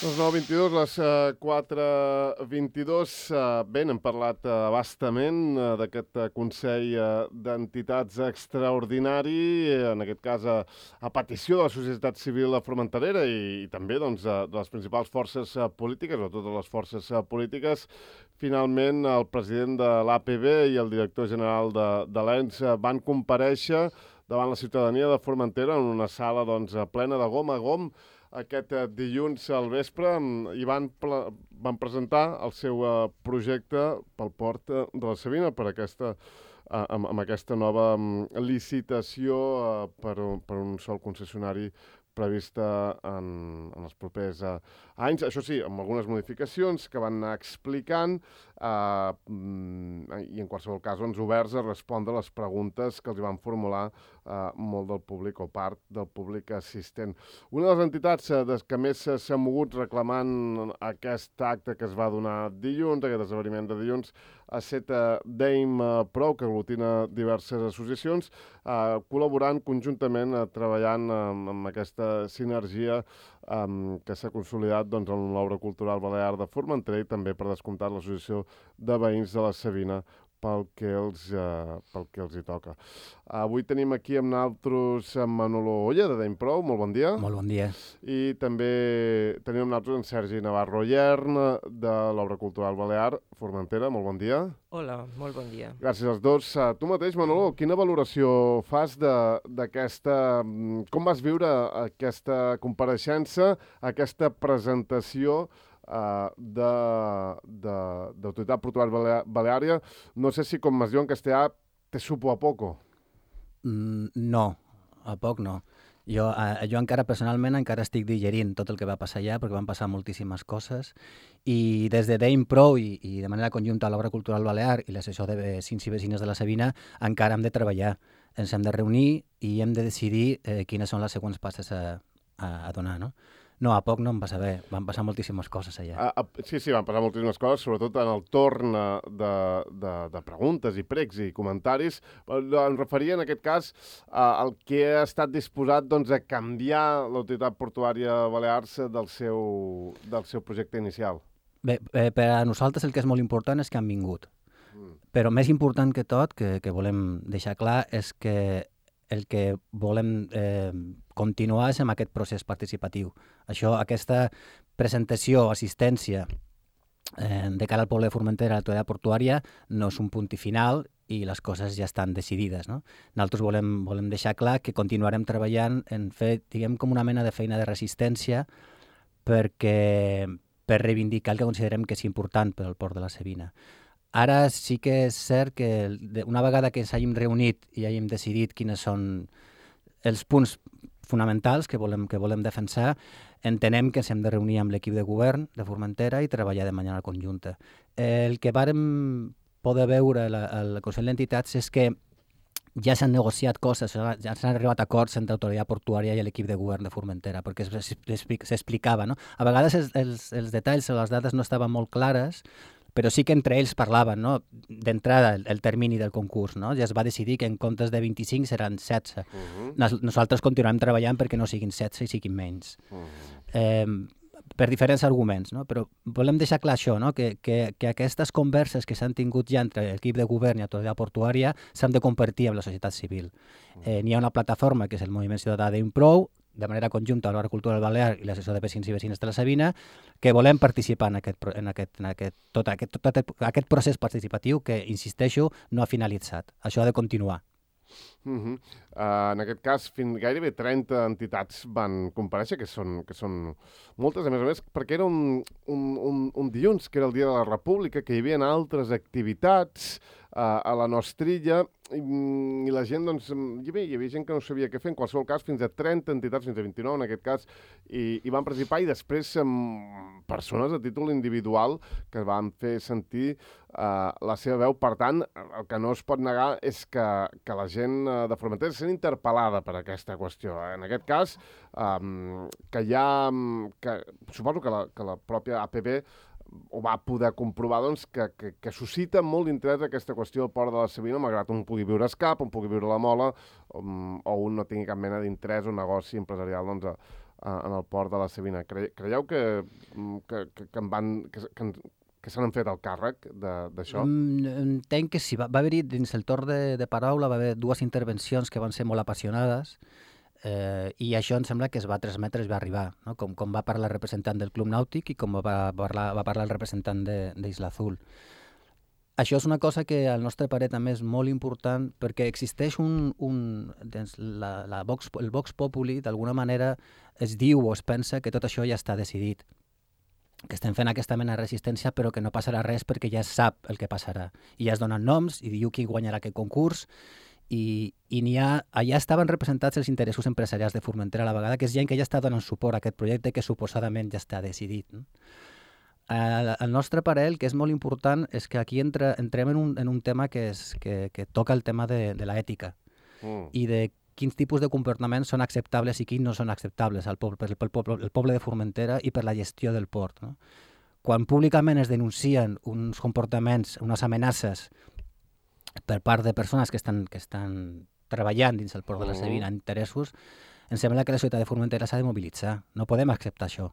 Les 9:22, les 4:22. Bé, hem parlat bastament d'aquest Consell d'Entitats extraordinari, en aquest cas a petició de la societat civil formenterera i també doncs, de les principals forces polítiques, o totes les forces polítiques. Finalment, el president de l'APB i el director general de l'ENS van comparèixer davant la ciutadania de Formentera en una sala doncs, plena de gom a gom aquest dilluns al vespre i van presentar el seu projecte pel port de la Savina per aquesta, amb aquesta nova licitació per un sol concessionari prevista en els propers anys. Això sí, amb algunes modificacions que van anar explicant i en qualsevol cas doncs, oberts a respondre les preguntes que els van formular molt del públic o part del públic assistent. Una de les entitats que més s'ha mogut reclamant aquest acte que es va donar dilluns, aquest esdeveniment de dilluns, ha estat Dame Pro, que aglutina diverses associacions, col·laborant conjuntament, treballant amb aquesta sinergia que s'ha consolidat doncs, en l'obra cultural balear de Formentera i també, per descomptat, l'associació de veïns de la Savina pel que els hi toca. Avui tenim aquí amb nosaltres en Manolo Olla, de Dame Pro. Molt bon dia. Molt bon dia. I també tenim amb nosaltres en Sergi Navarro Yern, de l'Obra Cultural Balear, Formentera. Molt bon dia. Hola, molt bon dia. Gràcies als dos. Tu mateix, Manolo, quina valoració fas d'aquesta... Com vas viure aquesta compareixença, aquesta presentació d'autoritat portuària baleària? No sé si, com es diu en castellà, te supo a poco. No, a poc no. Jo encara personalment encara estic digerint tot el que va passar allà, perquè van passar moltíssimes coses, i des de Dame Pro i de manera conjunta a l'Obra Cultural Balear i l'assessor de vecins i vecines de la Savina encara hem de treballar. Ens hem de reunir i hem de decidir quines són les següents passes a donar, no? No, a poc no em va saber. Van passar moltíssimes coses allà. Sí, van passar moltíssimes coses, sobretot en el torn de preguntes i pregs i comentaris. Em referia, en aquest cas, al que ha estat disposat doncs, a canviar l'autoritat portuària Balears del seu projecte inicial. Bé, per a nosaltres el que és molt important és que han vingut. Però més important que tot, que volem deixar clar, és que el que volem continuar és amb aquest procés participatiu. Aquesta presentació, assistència de cara al poble de Formentera a l'autoritat portuària no és un punt final i les coses ja estan decidides, no? Nosaltres volem deixar clar que continuarem treballant en fer, diguem, com una mena de feina de resistència per reivindicar el que considerem que és important per al port de la Savina. Ara sí que és cert que una vegada que ens hàgim reunit i hàgim decidit quins són els punts fonamentals que volem defensar, entenem que ens hem de reunir amb l'equip de govern de Formentera i treballar de manera conjunta. El que vàrem poder veure al Consell d'Entitats és que ja s'han negociat coses, ja s'han arribat a acords entre l'autoritat portuària i l'equip de govern de Formentera, perquè s'explicava, no? A vegades els detalls o les dades no estaven molt clares, però sí que entre ells parlaven, no? D'entrada el termini del concurs, no? Ja es va decidir que en comptes de 25 seran 16. Nosaltres continuem treballant perquè no siguin 16 i siguin menys. Per diferents arguments, no? Però volem deixar clar això, no? Que aquestes converses que s'han tingut ja entre l'equip de govern i l'autoritat portuària s'han de compartir amb la societat civil. N'hi ha una plataforma que és el Moviment Ciutadà Dame Pro, de manera conjunta a l'Obra Cultural Balear i l'assessor de vecins i vecines de la Savina, que volem participar en tot aquest procés participatiu que, insisteixo, no ha finalitzat. Això ha de continuar. En aquest cas, gairebé 30 entitats van comparèixer, que són moltes, a més, perquè era un dilluns, que era el Dia de la República, que hi havia altres activitats a la Nostrilla, i la gent, doncs, hi havia gent que no sabia què fer, en qualsevol cas, fins a 30 entitats, fins a 29 en aquest cas, i van participar, i després persones a títol individual que van fer sentir la seva veu. Per tant, el que no es pot negar és que la gent de Formentera sent interpel·lada per aquesta qüestió. En aquest cas, suposo que la pròpia APB ho va poder comprovar, doncs, que suscita molt d'interès aquesta qüestió del port de la Savina, malgrat un pugui viure a Escap, un pugui viure a la Mola, o un no tingui cap mena d'interès o negoci empresarial, doncs, en el port de la Savina. Creieu que se n'han fet el càrrec d'això? Entenc que sí. Va haver-hi, dins el torn de paraula, va haver dues intervencions que van ser molt apassionades i això em sembla que es va transmetre, es va arribar, no? Com va parlar el representant del Club Nàutic i com va parlar el representant d'Isla Azul. Això és una cosa que al nostre parer també és molt important perquè existeix el Vox Populi, d'alguna manera es diu o es pensa que tot això ja està decidit, que estem fent aquesta mena de resistència però que no passarà res perquè ja es sap el que passarà. I ja es donen noms i diu qui guanyarà aquest concurs i allà estaven representats els interessos empresarials de Formentera a la vegada, que és gent que ja està donant suport a aquest projecte que suposadament ja està decidit, no? El nostre parer, el que és molt important, és que aquí entrem en un tema que toca el tema de l'ètica i de quins tipus de comportaments són acceptables i quins no són acceptables el poble de Formentera i per la gestió del port, no? Quan públicament es denuncien uns comportaments, unes amenaces per part de persones que estan treballant dins el port de la Savina en interessos, em sembla que la ciutat de Formentera s'ha de mobilitzar. No podem acceptar això.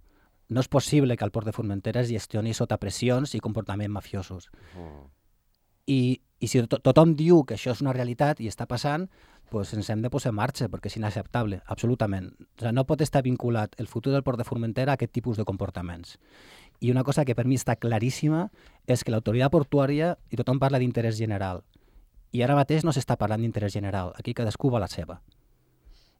No és possible que el port de Formentera es gestioni sota pressions i comportaments mafiosos. I si tothom diu que això és una realitat i està passant, doncs ens hem de posar en marxa, perquè és inacceptable, absolutament. O sigui, no pot estar vinculat el futur del port de Formentera a aquest tipus de comportaments. I una cosa que per mi està claríssima és que l'autoritat portuària, i tothom parla d'interès general, i ara mateix no s'està parlant d'interès general, aquí cadascú va la seva.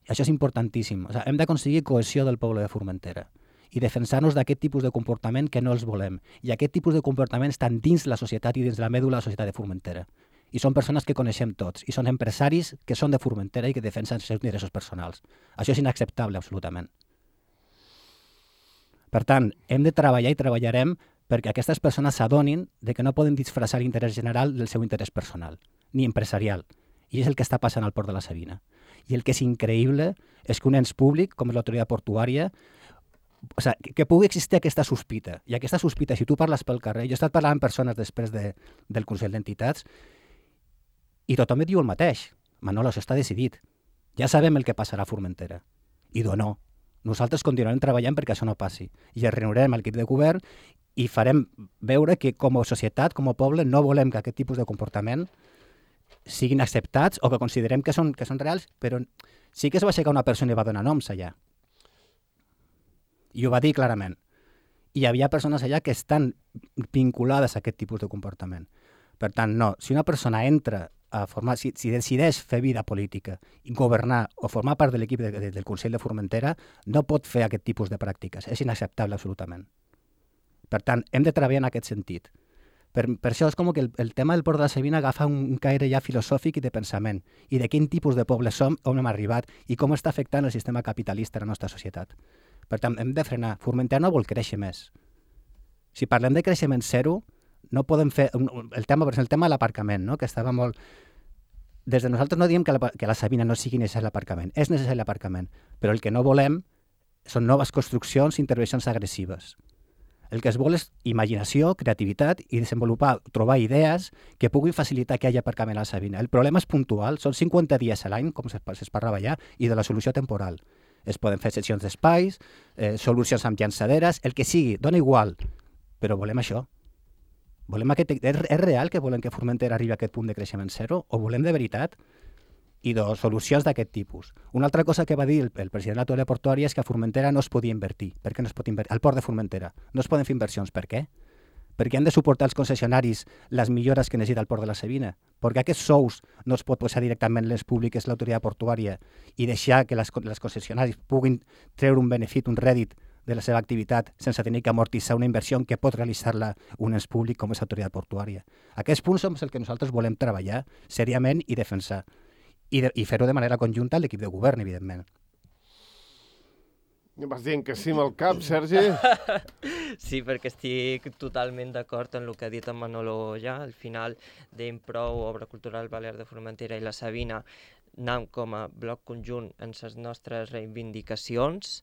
I això és importantíssim. O sigui, hem d'aconseguir cohesió del poble de Formentera i defensar-nos d'aquest tipus de comportament que no els volem. I aquest tipus de comportaments estan dins la societat i dins la mèdula de la societat de Formentera. I són persones que coneixem tots, i són empresaris que són de Formentera i que defensen els seus interessos personals. Això és inacceptable, absolutament. Per tant, hem de treballar i treballarem perquè aquestes persones s'adonin de que no poden disfressar l'interès general del seu interès personal, ni empresarial. I és el que està passant al port de la Savina. I el que és increïble és que un ens públic, com és l'autoritat portuària, o sigui, que pugui existir aquesta sospita. I aquesta sospita, si tu parles pel carrer, jo he estat parlant amb persones després del Consell d'Entitats i tothom et diu el mateix. Manolo, això està decidit. Ja sabem el que passarà a Formentera. I no. Nosaltres continuarem treballant perquè això no passi. I es reunirem al equip de govern i farem veure que com a societat, com a poble, no volem que aquest tipus de comportament siguin acceptats o que considerem que són reals, però sí que es va aixecar una persona i va donar noms allà. I ho va dir clarament. I hi havia persones allà que estan vinculades a aquest tipus de comportament. Per tant, no, si una persona entra a formar, si decideix fer vida política, governar o formar part de l'equip del Consell de Formentera, no pot fer aquest tipus de pràctiques. És inacceptable absolutament. Per tant, hem de treballar en aquest sentit. Per això és com que el tema del port de la Savina agafa un caire ja filosòfic i de pensament, i de quin tipus de poble som, on hem arribat, i com està afectant el sistema capitalista a la nostra societat. Per tant, hem de frenar. Formentera no vol créixer més. Si parlem de creixement zero, no podem fer... El tema de l'aparcament, no? Que estava molt... Des de nosaltres no diem que la Savina no sigui necessari l'aparcament. És necessari l'aparcament. Però el que no volem són noves construccions i intervencions agressives. El que es vol és imaginació, creativitat i desenvolupar, trobar idees que puguin facilitar que hi hagi aparcament a la Savina. El problema és puntual, són 50 dies a l'any, com es parlava ja, i de la solució temporal. Es poden fer sessions d'espais, solucions amb llançaderes, el que sigui, dona igual, però volem això. És real que volem que Formentera arribi a aquest punt de creixement zero o volem de veritat? I solucions d'aquest tipus. Una altra cosa que va dir el president de l'autoritat portuària és que a Formentera no es podia invertir. Per què no es pot invertir? Al port de Formentera no es poden fer inversions. Per què? Perquè han de suportar els concessionaris les millores que necessita el port de la Savina. Perquè aquests sous no es pot posar directament les públiques l'autoritat portuària i deixar que les concessionaris puguin treure un benefit, un rèdit de la seva activitat sense tenir que amortitzar una inversió que pot realitzar-la un ens públic com és l'autoritat portuària. Aquests punts són els que nosaltres volem treballar seriament i defensar. I fer-ho de manera conjunta amb l'equip de govern, evidentment. Vas dient que sí amb el cap, Sergi? Sí, perquè estic totalment d'acord en el que ha dit en Manolo ja. Al final, d'Improu, Obra Cultural Balear de Formentera i la Savina, anam com a bloc conjunt en les nostres reivindicacions.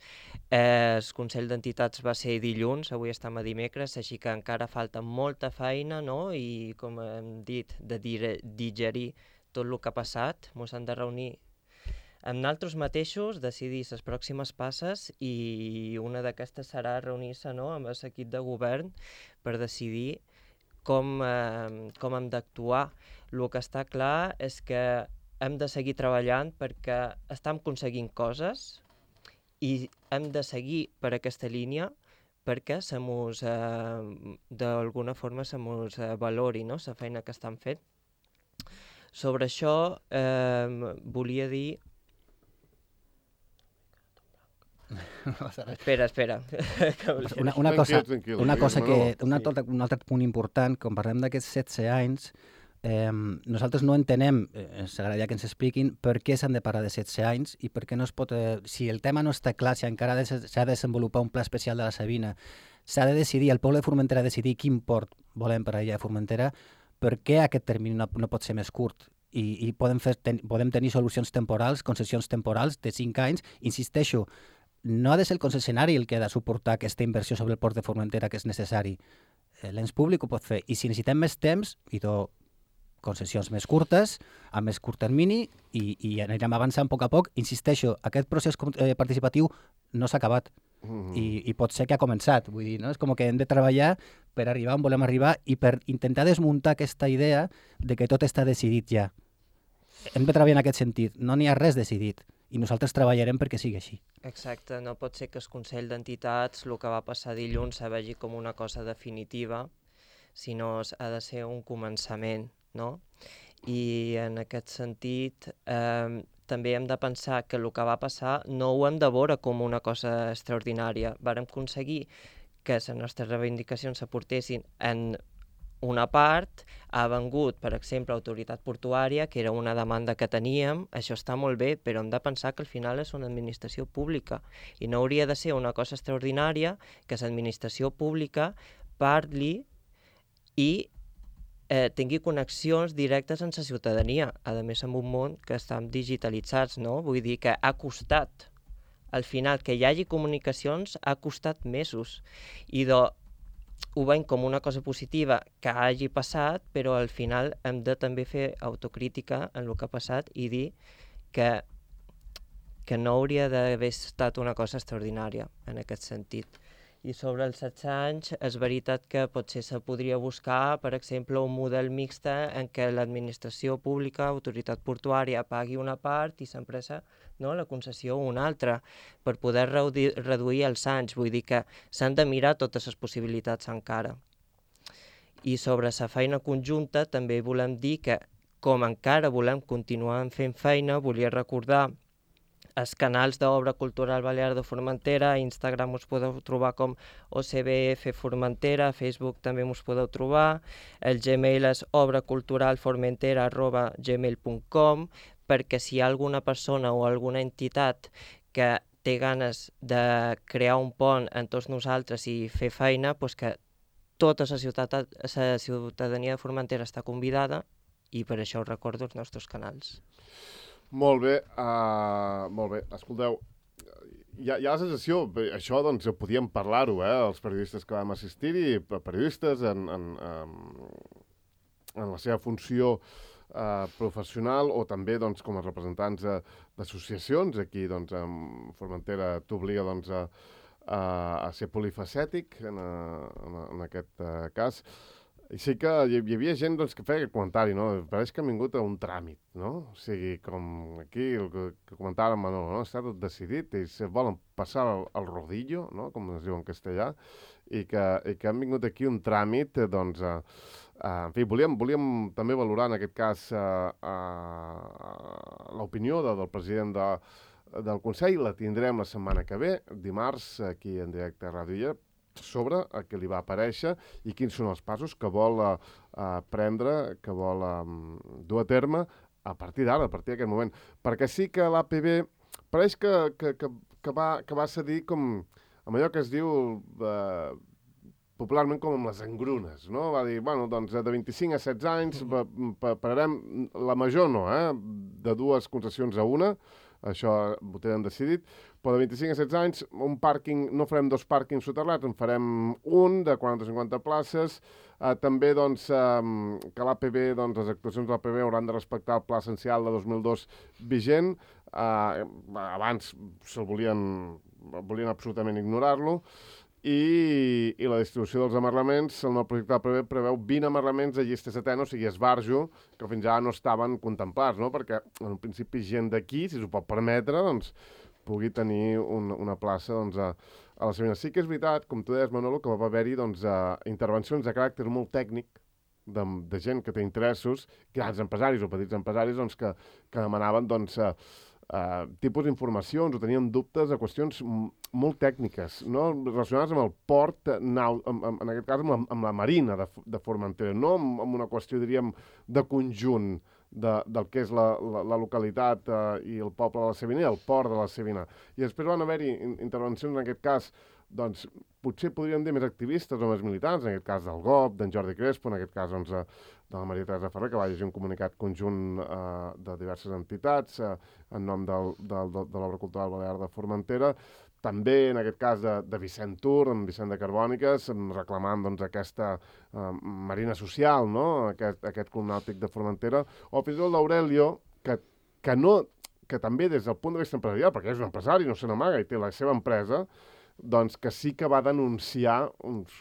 El Consell d'Entitats va ser dilluns, avui estem a dimecres, així que encara falta molta feina, no? I, com hem dit, de digerir tot el que ha passat. Ens hem de reunir amb nosaltres mateixos decidir les pròximes passes i una d'aquestes serà reunir-se, no, amb l'equip de govern per decidir com hem d'actuar. El que està clar és que hem de seguir treballant perquè estem aconseguint coses i hem de seguir per aquesta línia perquè d'alguna forma se mos valori, no?, la feina que estan fent. Sobre això volia dir... Espera. Un altre punt important, quan parlem d'aquests 16 anys, nosaltres no entenem, ens agradaria que ens expliquin per què s'han de parlar de 16 anys i per què no es pot... si el tema no està clar, si encara s'ha de desenvolupar un pla especial de la Sabina, s'ha de decidir, el poble de Formentera ha de decidir quin port volem per a l'illa de Formentera, per què aquest termini no pot ser més curt? I podem tenir solucions temporals, concessions temporals de 5 anys. Insisteixo, no ha de ser el concessionari el que ha de suportar aquesta inversió sobre el port de Formentera que és necessari. L'ens públic ho pot fer. I si necessitem més temps, concessions més curtes, a més curt termini, i anirem avançant a poc. Insisteixo, aquest procés participatiu no s'ha acabat i pot ser que ha començat. Vull dir, no? És com que hem de treballar per arribar on volem arribar i per intentar desmuntar aquesta idea de que tot està decidit ja. Hem de treballar en aquest sentit. No n'hi ha res decidit i nosaltres treballarem perquè sigui així. Exacte, no pot ser que el Consell d'Entitats, el que va passar dilluns, se vegi com una cosa definitiva, sinó ha de ser un començament, no? I en aquest sentit també hem de pensar que el que va passar no ho hem de veure com una cosa extraordinària. Vàrem aconseguir que les nostres reivindicacions s'aportessin en una part, ha vengut, per exemple, Autoritat Portuària, que era una demanda que teníem, això està molt bé, però hem de pensar que al final és una administració pública i no hauria de ser una cosa extraordinària que l'administració pública parli i tingui connexions directes amb la ciutadania, a més en un món que estan digitalitzats, no? Vull dir que ha costat, al final, que hi hagi comunicacions ha costat mesos i ho veiem com una cosa positiva que hagi passat, però al final hem de també fer autocrítica en el que ha passat i dir que no hauria d'haver estat una cosa extraordinària en aquest sentit. I sobre els 16 anys és veritat que potser se podria buscar, per exemple, un model mixt en què l'administració pública, Autoritat Portuària, pagui una part i l'empresa, no, la concessió una altra, per poder reduir els anys. Vull dir que s'han de mirar totes les possibilitats encara. I sobre la feina conjunta també volem dir que, com encara volem continuar fent feina, volia recordar els canals d'Obra Cultural Balear de Formentera, a Instagram us podeu trobar com OCBF Formentera, a Facebook també us podeu trobar, el Gmail és obraculturalformentera@gmail.com, perquè si hi ha alguna persona o alguna entitat que té ganes de crear un pont en tots nosaltres i fer feina, doncs que tota la ciutadania de Formentera està convidada i per això us recordo els nostres canals. Molt bé. Escolteu, hi ha la sensació, això doncs podíem parlar-ho, els periodistes que vam assistir-hi, periodistes en la seva funció professional o també doncs, com a representants d'associacions. Aquí doncs, Formentera t'obliga doncs, a ser polifacètic en aquest cas. I sí que hi havia gent doncs, que feia aquest comentari, no? Pareix que han vingut a un tràmit, no? O sigui, com aquí el que comentava en Manolo, no? Està tot decidit i se volen passar el rodillo, no? Com es diu en castellà, i que han vingut aquí un tràmit, doncs, en fi, volíem també valorar en aquest cas l'opinió del president del Consell, la tindrem la setmana que ve, dimarts, aquí en directe a Ràdio Illa, sobre el que li va aparèixer i quins són els passos que vol prendre, que vol dur a terme a partir d'ara, a partir d'aquest moment. Perquè sí que l'APB pareix que va cedir com amb allò que es diu popularment com amb les engrunes, no? Va dir, bueno, doncs de 25 a 16 anys pararem, la major no, de 2 concessions a una, això ho tenen decidit, però de 25 a 16 anys, un pàrquing, no farem 2 pàrquings soterrats, en farem un de 40-50 places. També doncs, que l'APB, doncs, les actuacions de l'APB hauran de respectar el pla essencial de 2002 vigent. Abans volien absolutament ignorar-lo. I la distribució dels amarraments, el nou projecte de l'APB preveu 20 amarraments de llista setena, o sigui, esbarjo, que fins ara no estaven contemplats, no? Perquè, en principi, gent d'aquí, si s'ho pot permetre, doncs, pugui tenir una plaça doncs, a la Savina. Sí que és veritat, com tu deies, Manolo, que va haver-hi doncs, intervencions de caràcter molt tècnic de gent que té interessos, grans empresaris o petits empresaris, doncs, que demanaven doncs, tipus d'informacions o tenien dubtes de qüestions molt tècniques, no? Relacionades amb el port, en aquest cas amb la marina de Formentera, no amb una qüestió, diríem, de conjunt del que és la localitat i el poble de la Savina i el port de la Savina. I després van haver-hi intervencions, en aquest cas, doncs, potser podríem dir més activistes o més militants, en aquest cas del GOP, d'en Jordi Crespo, en aquest cas doncs, de la Maria Teresa Ferrer, que va llegir un comunicat conjunt de diverses entitats en nom de l'Obra Cultural Balear de Formentera, també en aquest cas de Vicent Tur, en Vicent de Carbòniques, reclamant doncs, aquesta marina social, no? aquest club nàutic de Formentera, o fins i tot l'Aurelio, que també des del punt de vista empresarial, perquè és un empresari, no se n'amaga i té la seva empresa, doncs que sí que va denunciar uns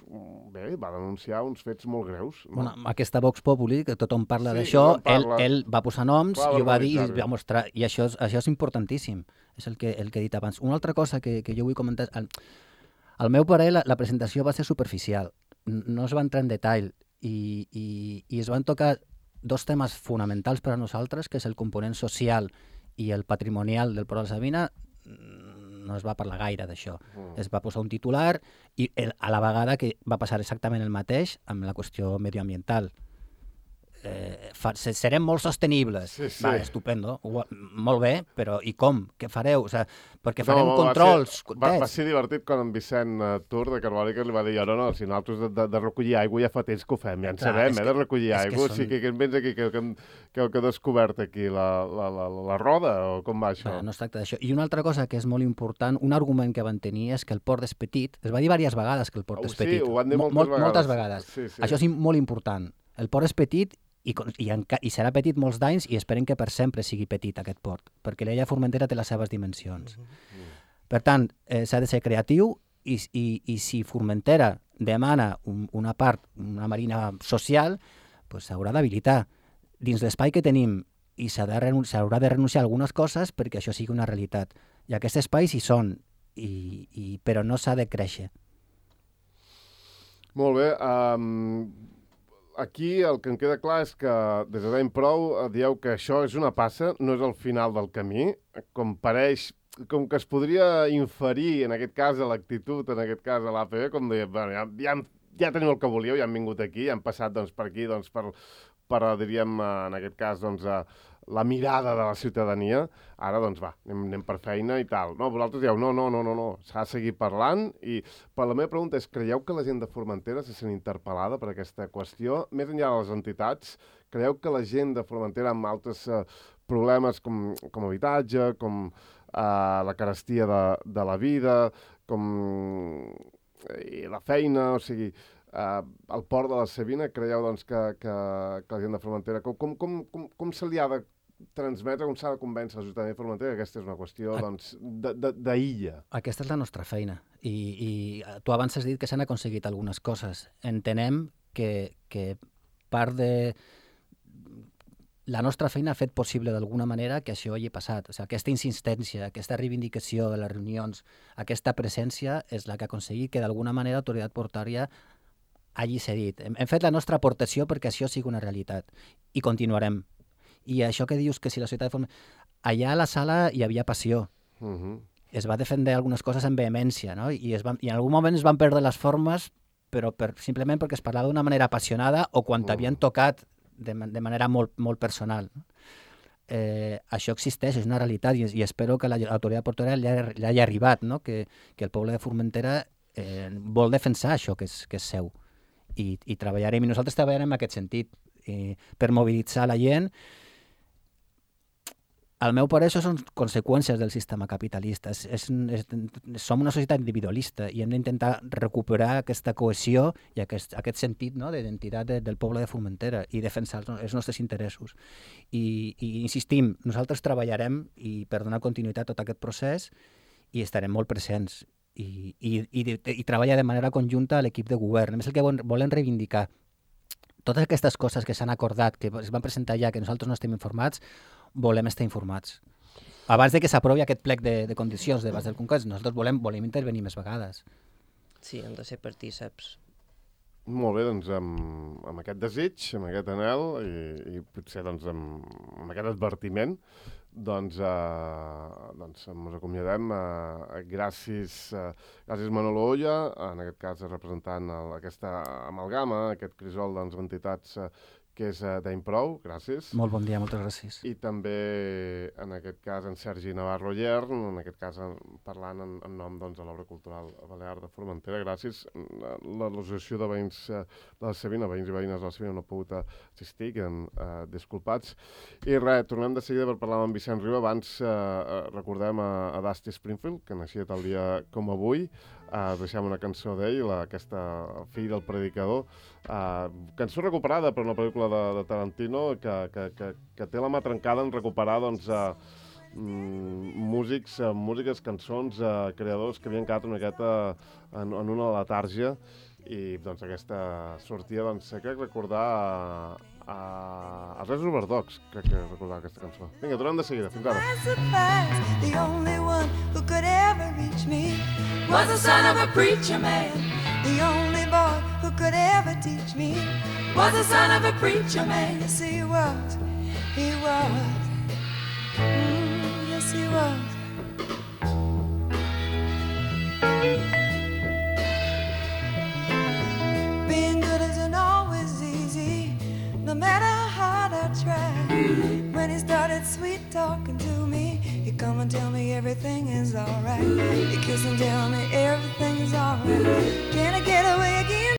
fets molt greus. No? Bueno, aquesta Vox Populi, que tothom parla d'això, ell va posar noms i ho va dir i va mostrar, i això és importantíssim, és el que he dit abans. Una altra cosa que jo vull comentar, al meu parer la presentació va ser superficial, no es va entrar en detall i es van tocar dos temes fonamentals per a nosaltres, que és el component social i el patrimonial del Port de la Savina. No es va parlar gaire d'això. Es va posar un titular i a la vegada que va passar exactament el mateix amb la qüestió medioambiental. Serem molt sostenibles. Sí. Va, estupendo. Molt bé, però i com? Què fareu? O sigui, perquè farem controls. Va ser divertit quan en Vicent Tur de Carbòniques li va dir no, si nosaltres de recollir aigua ja fa temps que ho fem, ja en sabem, de recollir aigua. O sigui, que ens vens aquí, que heu descobert aquí la roda, o com va això? No es tracta d'això. I una altra cosa que és molt important, un argument que van tenir és que el port és petit. Es va dir diverses vegades que el port és petit. Sí, ho van dir moltes vegades. Sí. Això és molt important. El port és petit i serà petit molts d'anys i esperen que per sempre sigui petit aquest port, perquè l'illa Formentera té les seves dimensions. Per tant, s'ha de ser creatiu i si Formentera demana una part, una marina social, doncs s'haurà d'habilitar dins l'espai que tenim i s'haurà de renunciar a algunes coses perquè això sigui una realitat. I aquests espais hi són, però no s'ha de créixer. Molt bé. Aquí el que em queda clar és que des de Daim Prou dieu que això és una passa, no és el final del camí, com que es podria inferir, en aquest cas, a l'actitud, en aquest cas, a l'APB, com deia, ja teniu el que volíeu, ja han vingut aquí, ja han passat doncs, per aquí doncs, per, diríem, en aquest cas, doncs, la mirada de la ciutadania, ara, doncs, va, anem per feina i tal. No, vosaltres dieu, no, s'ha de seguir parlant però la meva pregunta és, creieu que la gent de Formentera se sent interpel·lada per aquesta qüestió? Més enllà de les entitats, creieu que la gent de Formentera amb altres problemes com habitatge, com la carestia de la vida, com la feina, o sigui, el port de la Savina, creieu doncs, que la gent de Formentera, com se li ha de transmetre, com s'ha de convèncer la ciutadania de Formentera que aquesta és una qüestió d'illa? Aquesta és la nostra feina i tu abans has dit que s'han aconseguit algunes coses. Entenem que part de la nostra feina ha fet possible d'alguna manera que això hagi passat. O sigui, aquesta insistència, aquesta reivindicació de les reunions, aquesta presència és la que ha aconseguit que d'alguna manera l'autoritat portària hagi cedit. Hem fet la nostra aportació perquè això sigui una realitat i continuarem. I això que dius que si la societat... Allà a la sala hi havia passió. Es va defendre algunes coses amb vehemència, no? I en algun moment es van perdre les formes, però simplement perquè es parlava d'una manera apassionada o quan t'havien tocat de manera molt, molt personal. Això existeix, és una realitat i espero que l'autoritat portuària li hagi arribat, no? Que el poble de Formentera vol defensar això que és seu. I treballarem, i nosaltres treballarem en aquest sentit, per mobilitzar la gent Al meu parer, això són conseqüències del sistema capitalista. Som una societat individualista i hem d'intentar recuperar aquesta cohesió i aquest sentit, no, d'identitat del poble de Formentera i defensar els nostres interessos. I insistim, nosaltres treballarem per donar continuïtat a tot aquest procés i estarem molt presents i treballar de manera conjunta a l'equip de govern. A més, el que volem reivindicar, totes aquestes coses que s'han acordat, que es van presentar ja, que nosaltres no estem informats, volem estar informats. Abans de que s'aprovi aquest plec de condicions de base del concurs, nosaltres volem intervenir més vegades. Sí, hem de ser partíceps. Molt bé, doncs amb aquest desig, amb aquest anhel i potser doncs, amb aquest advertiment, doncs ens acomiadem. Gràcies Manolo Oya, en aquest cas representant aquesta amalgama, aquest crisol d'entitats que és d'Improu, gràcies. Molt bon dia, moltes gràcies. I també, en aquest cas, en Sergi Navarro Llern, en aquest cas parlant en nom de l'Obra Cultural Balear de Formentera. Gràcies. L'associació de veïns de la Savina, veïns i veïnes de la Savina, no ha pogut assistir, queden disculpats. I res, tornem de seguida per parlar amb Vicent Riu. Abans recordem a Dusty Springfield, que naixia tal dia com avui. Deixem una cançó d'ell, aquesta Fill del Predicador, cançó recuperada per una pel·lícula de Tarantino que té la mà trencada en recuperar músiques, cançons, creadors que havien quedat una miqueta en una letàrgia i doncs aquesta sortida, crec recordar els Reis Oberdocs, crec que recordar aquesta cançó. Vinga, tornem de seguida, fins ara. The only one who could ever reach me was the son of a preacher man. The only boy who could ever teach me was the son of a preacher man. Yes, he was. He was. Yes, he was. Being good isn't always easy, no matter how hard I try. When he started sweet talking to me, he'd come and tell me everything is alright. He'd kiss and tell me everything is alright. Can I get away again?